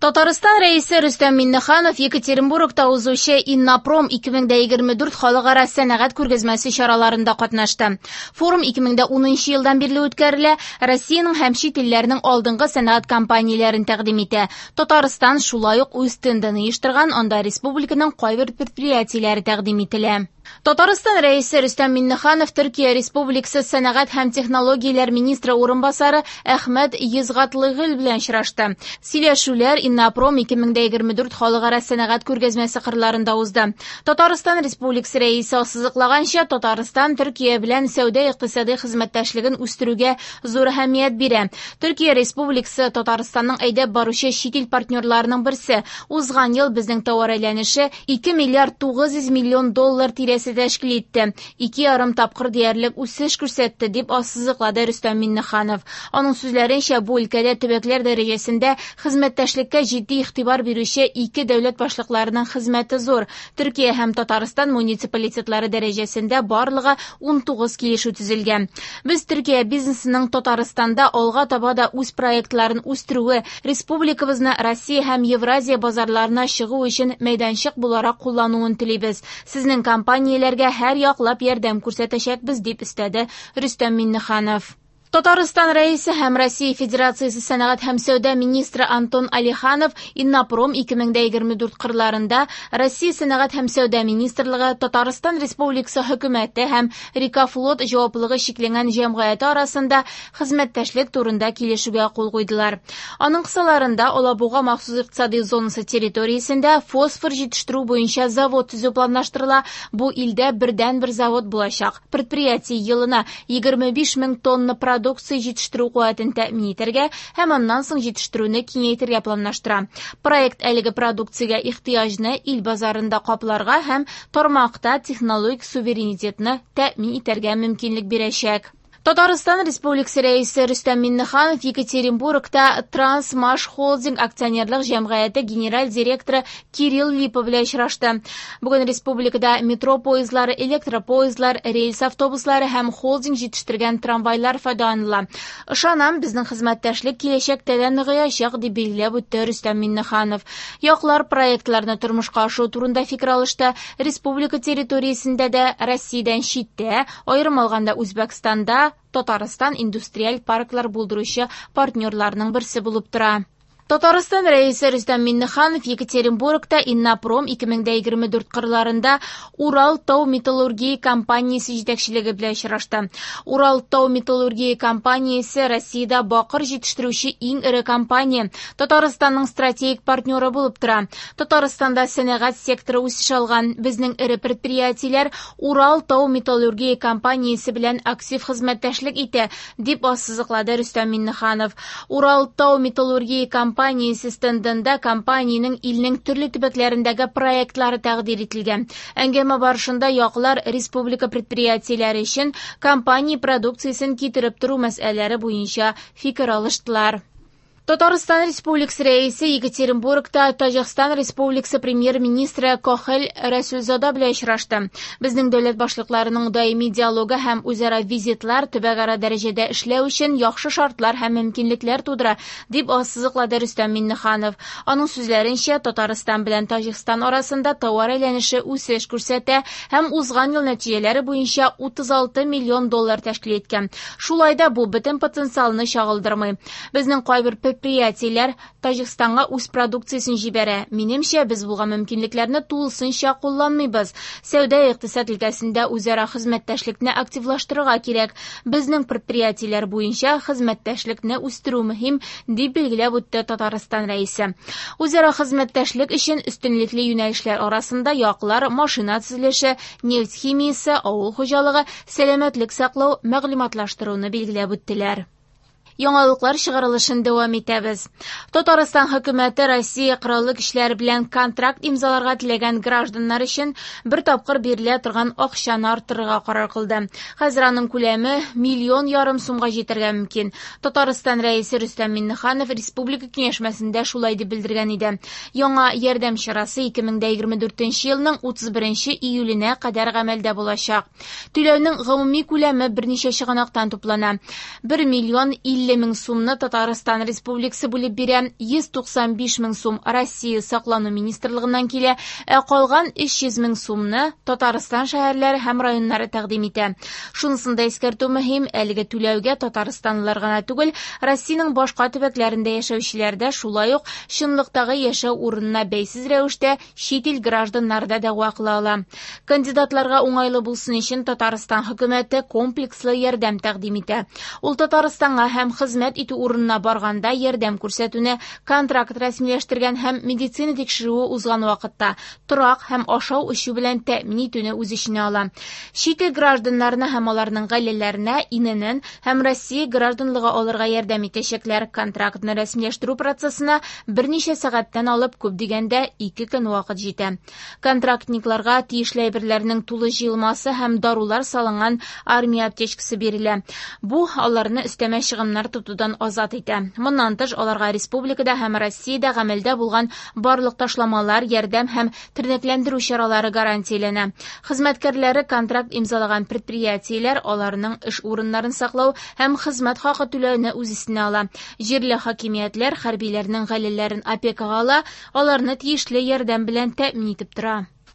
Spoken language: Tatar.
Татарстан Рәисе Рөстәм Миңнеханов Екатеринбургта узучы Иннопром 2024 халыкара сәнәгать күргәзмәсе чараларында катнашты. Форум 2010 елдан бирле үткәрелә, Россиянең һәм чит илләрнең алдынгы сәнәгать компанияләрен тәкъдим итә. Татарстан шулай ук үз стендын оештырган, анда республиканың кайбер предприятиеләре тәкъдим ителә. Татарстан Рәисе Рөстәм Миңнеханов Төркия Республикасы сәнәгать һәм технологияләр министры урынбасары Әхмәт Йозгатлыгөл белән очрашты. Сөйләшүләр Иннопром 2024 халыкара сәнәгать күргәзмәсе кырларында узды. Татарстан Республикасы Рәисе ассызыклаганча, Татарстан Төркия белән сәүдә-икътисади хезмәттәшлеген үстерүгә зур әһәмият бирә. Төркия Республикасы Татарстанның әйдәп баручы чит ил партнерларының берсе. Узган ел безнең товар әйләнеше 2 миллиард 900 миллион доллар тирәсе тәшкил итте. 2,5 тапкыр диярлек үсеш күрсәтте, дип ассызыклады Рөстәм Миңнеханов. Аның сүзләренчә, бу өлкәдә төбәкләр дәрәҗәсендә хезмәттәшлеккә җитди игътибар бирүче ике дәүләт башлыкларының хезмәте зур. Төркия һәм Татарстан муниципалитетлары дәрәҗәсендә барлыгы 19 килешү төзелгән. Без Төркия бизнесының Татарстанда алга таба да үз проектларын үстерүе, республикабызны Россия һәм Евразия базарларына чыгу өчен мәйданчык буларак куллануын телибез. Сезнең компанияләргә һәр яклап ярдәм күрсәтәчәкбез, дип өстәде Рөстәм Миңнеханов. Татарстан Рәисе һәм Россия Федерациясе сәнәгать һәм сәүдә министры Антон Алиханов Иннопром 2024 кырларында Россия сәнәгать һәм сәүдә министрлыгы, Татарстан Республикасы хөкүмәте һәм Рикафлот җаваплылыгы чикләнгән җәмгыяте арасында хезмәттәшлек турында килешүгә кул куйдылар. Аның кысаларында Алабуга махсус икътисади зонасы территориясендә фосфор җитештерү буенча завод төзү планлаштырыла. Бу илдә бердәнбер завод булачак. Предприятие елына 25 мең тонна продукция җитештерү куәтен тәэмин итәргә һәм аннан соң җитештерүне киңәйтергә планлаштыра. Проект әлеге продукциягә ихтыяҗны ил базарында капларга һәм тармакта технологик суверенитетны тәэмин итәргә мөмкинлек бирәчәк. Татарстан Республикасы Рәисе Рөстәм Миңнеханов Екатеринбургта Трансмаш Холдинг акционерлык җәмгыяте генераль директоры Кирилл Липа белән очрашты. Бүген республикада метро поездлары, электропоездлар, рельс автобуслары һәм холдинг җитештергән трамвайлар файдаланыла. Ышанам, безнең хезмәттәшлек киләчәктә дә ныгыячак, дип билгеләп үтте Рөстәм Миңнеханов. Яклар проектларны тормышка ашыру турында фикер алышты. Республика территориясендә дә, Россиядән читтә, аерым алганда Үзбәкстанда, Татарстан индустриаль парклар булдыручы партнерларның берсе булып тора. Татарстан Рәисе Рөстәм Миңнеханов Екатеринбургта Иннопром 2024 кырларында Урал тау металлургия компаниясе җитәкчелеге белән очрашты. Урал тау металлургия компаниясе Россиядә бакыр җитештерүче иң эре компания, Татарстанның стратегик партнеры булып тора. Татарстанда сәнәгать секторы үсеш алган. Безнең эре предприятиеләр Урал тау металлургия компаниясе белән актив хезмәттәшлек итә, дип ассызыклады Рөстәм Миңнеханов. Урал тау металлургия компаниясе стендында компаниянең илнең төрле төбәкләрендәге проектлары тәкъдир ителгән. Әңгәмә барышында яклар республика предприятиеләре өчен компания продукциясен китереп тору мәсьәләләре буенча фикер алыштылар. Татарстан Республикасы Рәисе Екатеринбургта Таҗикстан Республикасы премьер-министры Кохел Рәсүлзада белән очрашты. Безнең дәүләт башлыкларының даими диалогы һәм үзара визитлар төбәкара дәрәҗәдә эшләү өчен яхшы шартлар һәм мөмкинлекләр тудыра, дип ассызыклады Рөстәм Миңнеханов. Аның сүзләренчә, Татарстан белән Таҗикстан арасында товар әйләнеше үсеш күрсәтә һәм узган ел нәтиҗәләре буенча 36 миллион доллар тәшкил иткән. Шулай да бу бөтен потенциалны чагылдырмый. Безнең кайбер предприятиеләр Таҗикстанга үз продукциясен җибәрә. Минемчә, без булган мөмкинлекләрне тулысынча кулланмыйбыз. Сәүдә-икътисад өлкәсендә үзара хезмәттәшлекне активлаштырырга кирәк. Безнең предприятиеләр буенча хезмәттәшлекне үстерү мөһим, дип билгеләп үтте Татарстан Рәисе. Үзара хезмәттәшлек өчен өстенлекле юнәлешләр арасында яклар машина төзелеше, нефть химиясе, авыл хуҗалыгы, сәламәтлек саклау, мәгълүматлаштыруны билгеләп үттеләр. Яңалыклар чыгарылышын дәвам итәбез. Татарстан хөкүмәте Россия Кораллы көчләре белән контракт имзаларга теләгән гражданнар өчен бер тапкыр бирелә торган акчаны арттырырга карар кылды. Хәзер аның күләме 1,5 миллион сумга җитәргә мөмкин. Татарстан Рәисе Рөстәм Миңнеханов республика киңәшмәсендә шулай дип белдергән иде. Яңа ярдәм чарасы 2024 елның 31 июленә кадәр гамәлдә булачак. Түләүнең гомуми күләме берничә чыганактан туплана. 1 миллион 50 мең сумны Татарстан Республикасы бүлеп бирә, 195 мең сум Россия саклану министрлыгыннан килә, ә калган 300 мең сумны Татарстан шәһәрләре һәм районнары тәкъдим итә. Шунысын да искәртү мөһим, әлеге түләүгә татарстанлылар гына түгел, Россиянең башка төбәкләрендә яшәүчеләр дә, шулай ук чынлыктагы яшәү урынына бәйсез рәвештә чит ил гражданнары да дәгъва кыла ала. Кандидатларга уңайлы булсын өчен Татарстан хөкүмәте комплекслы ярдәм тәкъдим итә. Ул Татарстанга һәм хезмәт итү урынына барганда ярдәм күрсәтүне, контракт рәсмиләштергән һәм медицина тикшерүе узган вакытта торак һәм ашау-эчү белән тәэмин итүне үз эченә ала. Чит ил гражданнарына һәм аларның гаиләләренә ИНН һәм Россия гражданлыгы алырга ярдәм итәчәкләр. Контрактны рәсмиләштерү процессына берничә сәгатьтән алып күп дигәндә 2 көн вакыт җитә. Контрактникларга тиешле әйберләрнең тулы җыелмасы һәм дарулар салынган армия аптечкасы бирелә. Бу аларны өстәмә чыгымнар тотудан азат итә. Моннан тыш, аларга республикада һәм Россиядә гамәлдә булган барлык ташламалар, ярдәм һәм тернәкләндерү чаралары гарантияләнә. Хезмәткәрләре контракт имзалаган предприятиеләр аларның эш урыннарын саклау һәм хезмәт хакы түләүне үз өстенә ала. Җирле хакимиятләр хәрбиләрнең гаиләләрен опекага ала, аларны тиешле ярдәм белән тәэмин итеп тора.